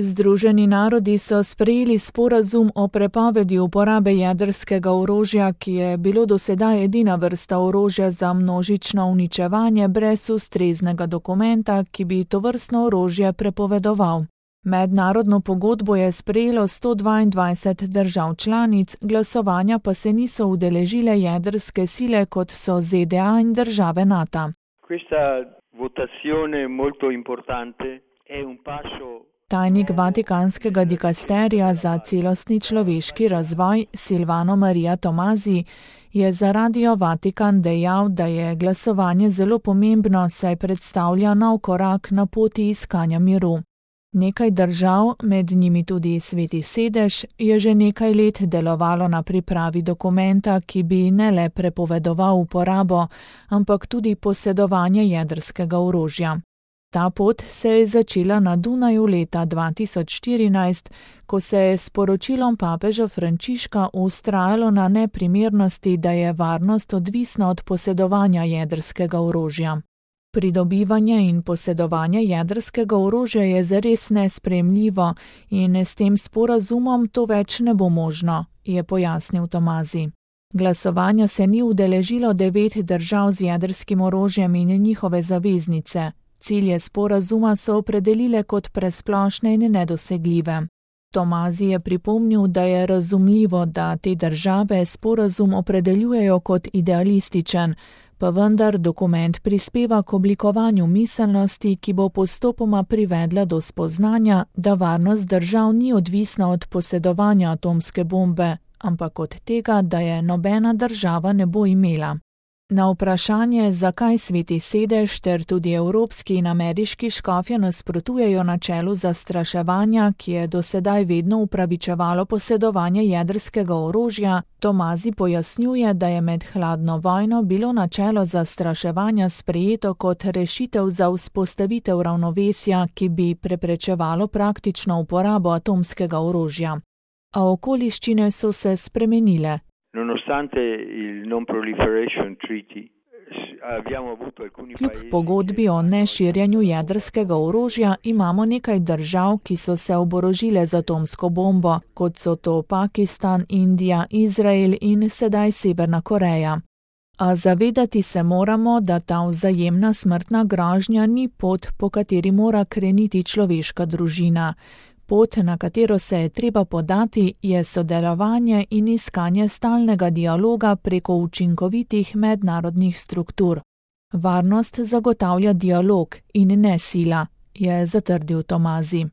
Združeni narodi so sprejeli sporazum o prepovedi uporabe jedrskega orožja, ki je bilo do sedaj edina vrsta orožja za množično uničevanje brez ustreznega dokumenta, ki bi tovrstno orožje prepovedoval. Mednarodno pogodbo je sprejelo 122 držav članic, glasovanja pa se niso udeležile jedrske sile, kot so ZDA in države NATO. Questa votazione molto importante è un passo. Tajnik Vatikanskega dikasterija za celostni človeški razvoj Silvano Maria Tomazi je za Radio Vatikan dejal, da je glasovanje zelo pomembno, saj predstavlja nov korak na poti iskanja miru. Nekaj držav, med njimi tudi Sveti sedež, je že nekaj let delovalo na pripravi dokumenta, ki bi ne le prepovedoval uporabo, ampak tudi posedovanje jedrskega orožja. Ta pot se je začela na Dunaju leta 2014, ko se je s poročilom papeža Frančiška vztrajalo na neprimernosti, da je varnost odvisna od posedovanja jedrskega orožja. Pridobivanje in posedovanje jedrskega orožja je zares nesprejemljivo in s tem sporazumom to več ne bo možno, je pojasnil Tomazi. Glasovanja se ni udeležilo 9 držav z jedrskim orožjem in njihove zaveznice. Cilje sporazuma so opredelile kot presplošne in nedosegljive. Tomazi je pripomnil, da je razumljivo, da te države sporazum opredeljujejo kot idealističen, pa vendar dokument prispeva k oblikovanju miselnosti, ki bo postopoma privedla do spoznanja, da varnost držav ni odvisna od posedovanja atomske bombe, ampak od tega, da je nobena država ne bo imela. Na vprašanje, zakaj Sveti sedež ter tudi evropski in ameriški škofje nasprotujejo načelu zastraševanja, ki je do sedaj vedno upravičevalo posedovanje jedrskega orožja, Tomazi pojasnjuje, da je med hladno vojno bilo načelo zastraševanja sprejeto kot rešitev za vzpostavitev ravnovesja, ki bi preprečevalo praktično uporabo atomskega orožja. A okoliščine so se spremenile. Nonostante il non proliferation treaty, abbiamo avuto alcuni Kljub pogodbi o neširjenju jedrskega orožja imamo nekaj držav, ki so se oborožile z atomsko bombo, kot so to Pakistan, Indija, Izrael in sedaj Severna Koreja. A zavedati se moramo, da ta vzajemna smrtna grožnja ni pot, po kateri mora kreniti človeška družina. Pot, na katero se je treba podati, je sodelovanje in iskanje stalnega dialoga preko učinkovitih mednarodnih struktur. Varnost zagotavlja dialog in ne sila, je zatrdil Tomazi.